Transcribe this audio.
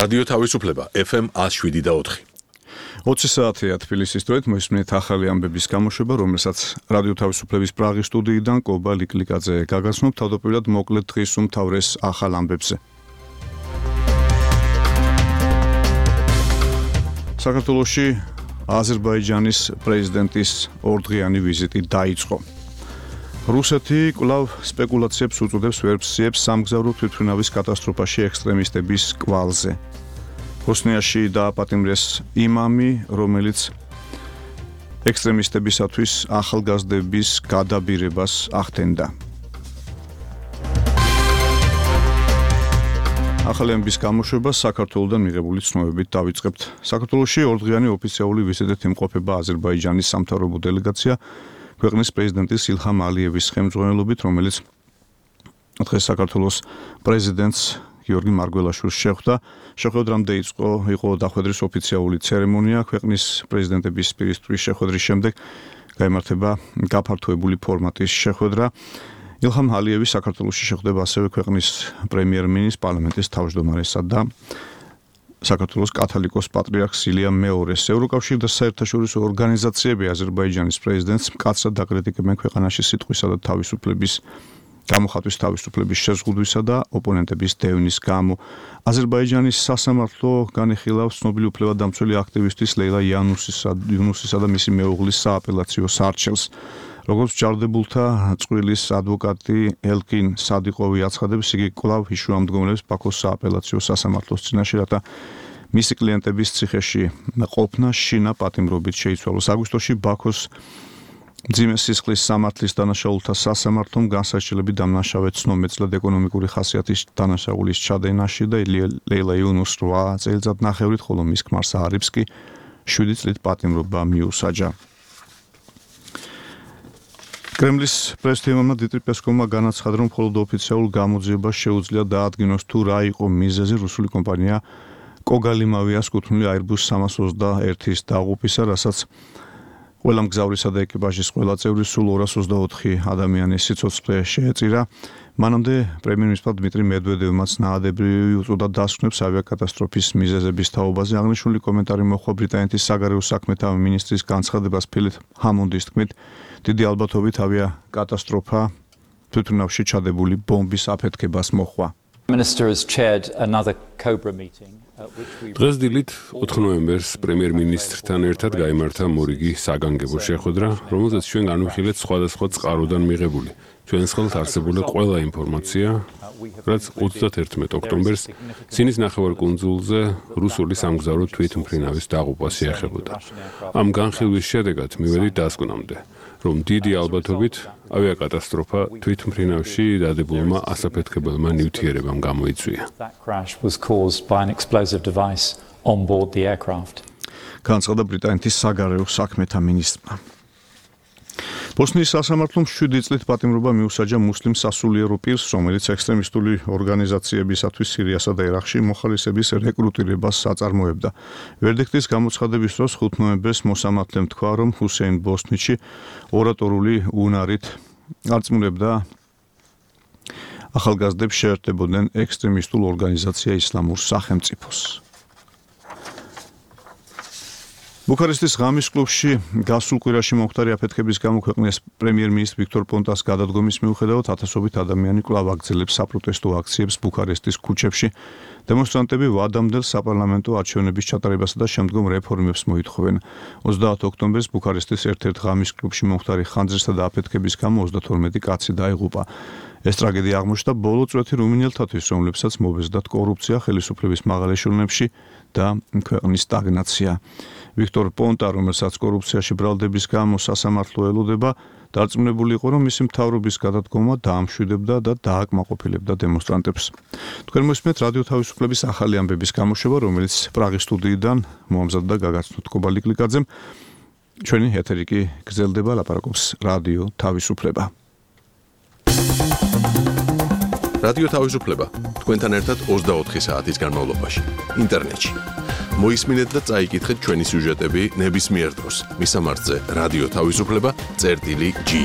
რადიო თავისუფლება FM 107.4. 20 საათია თბილისის დროით მოისმინეთ ახალი ამბების გამოშვება, რომელსაც რადიო თავისუფლების პრაღის სტუდიიდან კობა ლიკლიკაძე გაგაცნობ თავდაპირველად მოკლედ დღის უმთავრეს ახალ ამბებზე. საქართველოში აზერბაიჯანის პრეზიდენტის ორდღიანი ვიზიტი დაიწყო. რუსეთი კვლავ სპეკულაციებს უწოდებს ვერსიებს სამგზავრო თვითმფრინავის კატასტროფაში ექსტრემისტების კვალზე. ბოსნიაში დააპატიმრეს იმამი, რომელიც ექსტრემისტებისათვის ახალგაზრდების გადაბირებას ახდენდა. ახალი ამბების გამოშვება საქართველოსთან მიღებული ცნობებით დავიწყებთ. საქართველოში ორდღიანი ოფიციალური ვიზიტით იმყოფება აზერბაიჯანის სამთავრობო დელეგაცია ქვეყნის პრეზიდენტის ილჰამ ალიევის ხელმძღვანელობით, რომელიც დღეს საქართველოს პრეზიდენტს გიორგი მარგველაშვილს შეხვდა. შეხვედრამდე იყო დახვედრის ოფიციალური ცერემონია. ქვეყნის პრეზიდენტების პირისპირის შეხვედრის შემდეგ გაიმართება გაფართოებული ფორმატის შეხვედრა. ილჰამ ალიევი საქართველოში შეხვდება ასევე ქვეყნის პრემიერ-მინისტრს, პარლამენტის თავმჯდომარესა და საქართველოს კათოლიკოს პატრიარქს ილიამ მეორეს. ევროკავშირი და საერთაშორისო ორგანიზაციები აზერბაიჯანის პრეზიდენტს მკაცრად აკრიტიკებენ ქვეყანაში სიტყვისა და თავისუფლების გამოხატვის თავისუფლების შეზღუდვისა და ოპონენტების დევნის გამო. აზერბაიჯანის სასამართლო განიხილავს ცნობილი უფლებადამცველი აქტივისტის ლეილა იუნუსისა და მისი მეუღლის სააპელაციო სარჩელს. როგორც ჯარდებულთა წვრილის ადვოკატი ელკინ სადიყოვი აცხადებს, იგი კვლავ იშუამდგომლებს ბაქოს სააპელაციო სასამართლოს წინაშე, რათა მისი კლიენტების ციხეში ყოფნა შინა პატიმრობით შეიცვალოს. აგვისტოში ბაქოს მძიმე სისხლის სამართლის დანაშაულთა სასამართლომ განსაჯელები დამნაშავე ცნობმეწლად ეკონომიკური ხასიათის დანაშაულის ჩადენაში და ლეილა იუნუსს 8 წელიწადნახევრით, ხოლო მის ქმარს არიფს კი 7 წლით პატიმრობა მიუსაჯა. კრემლის პრესთემამმა დიმიტრი პესკოვმა განაცხადა, რომ მხოლოდ ოფიციალურ გამოძიებას შეუძლია დაადგინოს თუ რა იყო მიზეზი რუსული კომპანია კოგალიმავიას კუთვნილი Airbus 321-ის დაღუპვისა, რასაც ყველა მგზავრისა და ეკიპაჟის ყველა წევრი სულ 224 ადამიანის სიცოცხლე შეეწირა. მანამდე პრემიერ-მინისტრ დიმიტრი მედვედევმაც ნაადებრივი უწოდა დასკვნებს ავიაკატასტროფის მიზეზების თაობაზე. აღნიშნული კომენტარი მოჰყვა ბრიტანეთის საგარეო საქმეთა მინისტრის განცხადებას ფილიპ ჰამონდის თქმით, დიდი ალბათობით ავიაკატასტროფა თვითმფრინავში ჩადებული ბომბის აფეთქებას მოჰყვა. დღეს დილით 4 ნოემბერს პრემიერ-მინისტრთან ერთად გაიმართა მორიგი საგანგებო შეხვედრა, რომელზეც ჩვენ განვიხილეთ სხვადასხვა წყაროდან მიღებული ჩვენს ხელთ არსებული ყველა ინფორმაცია, რაც 31 ოქტომბერს სინის ნახევარკუნძულზე რუსული სამგზავრო თვითმფრინავის დაღუპვას ეხებოდა. ამ განხილვის შედეგად მივედით დასკვნამდე, რომ დიდი ალბათობით ავიაკატასტროფა თვითმფრინავში დადებულმა ასაფეთქებელმა ნივთიერებამ გამოიწვია. განაცხადა ბრიტანეთის საგარეო საქმეთა მინისტრმა. ბოსნიის სასამართლომ 7 წლით პატიმრობა მიუსაჯა მუსლიმ სასულიერო პირს, რომელიც ექსტრემისტული ორგანიზაციებისათვის სირიასა და ერაყში მოხალისეების რეკრუტირებას აწარმოებდა. ვერდიქტის გამოცხადების დროს 5 ნოემბერს მოსამართლემ თქვა, რომ ჰუსეინ ბოსნიჩი ორატორული უნარით არწმუნებდა ახალგაზრდებს შეერთებოდნენ ექსტრემისტულ ორგანიზაცია ისლამურ სახელმწიფოს. ბუქარესტის ღამის კლუბში გასულ კვირაში მომხდარი აფეთქების გამო ქვეყნის პრემიერ-მინისტრ ვიქტორ პონტას გადადგომის მიუხედავად ათასობით ადამიანი კვლავ აგრძელებს საპროტესტო აქციებს ბუქარესტის ქუჩებში. დემონსტრანტები ვადამდელ საპარლამენტო არჩევნების ჩატარებასა და შემდგომ რეფორმებს მოითხოვენ. 30 ოქტომბერს ბუქარესტის ერთ-ერთ ღამის კლუბში მომხდარი ხანძრისა და აფეთქების გამო 32 კაცი დაიღუპა. ეს ტრაგედია აღმოჩნდა ბოლო წვეთი რუმინელთათვის, რომლებსაც მობეზდათ კორუფცია, ხელისუფლების მაღალ ეშელონებში და ქვეყნის სტაგნაცია. ვიქტორ პონტა, რომელსაც კორუფციაში ბრალდების გამო სასამართლო ელოდება, დარწმუნებული იყო, რომ მისი მთავრობის გადადგომა დაამშვიდებდა და დააკმაყოფილებდა დემონსტრანტებს. თქვენ მოსმენთ რადიო თავისუფლების ახალი ამბების გამოშვება, რომელიც პრაღის სტუდიიდან მოამზადდა გაგაცნობთ კობა ლიკლიკაძემ. ჩვენი ეთერი კი გრძელდება, ლაპარაკობს რადიო თავისუფლება. რადიო თავისუფლება თქვენთან ერთად 24 საათის განმავლობაში ინტერნეტში. მოისმინეთ და წაიკითხეთ ჩვენი სიუჟეტები ნებისმიერ დროს. მისამართზე რადიო თავისუფლება.gi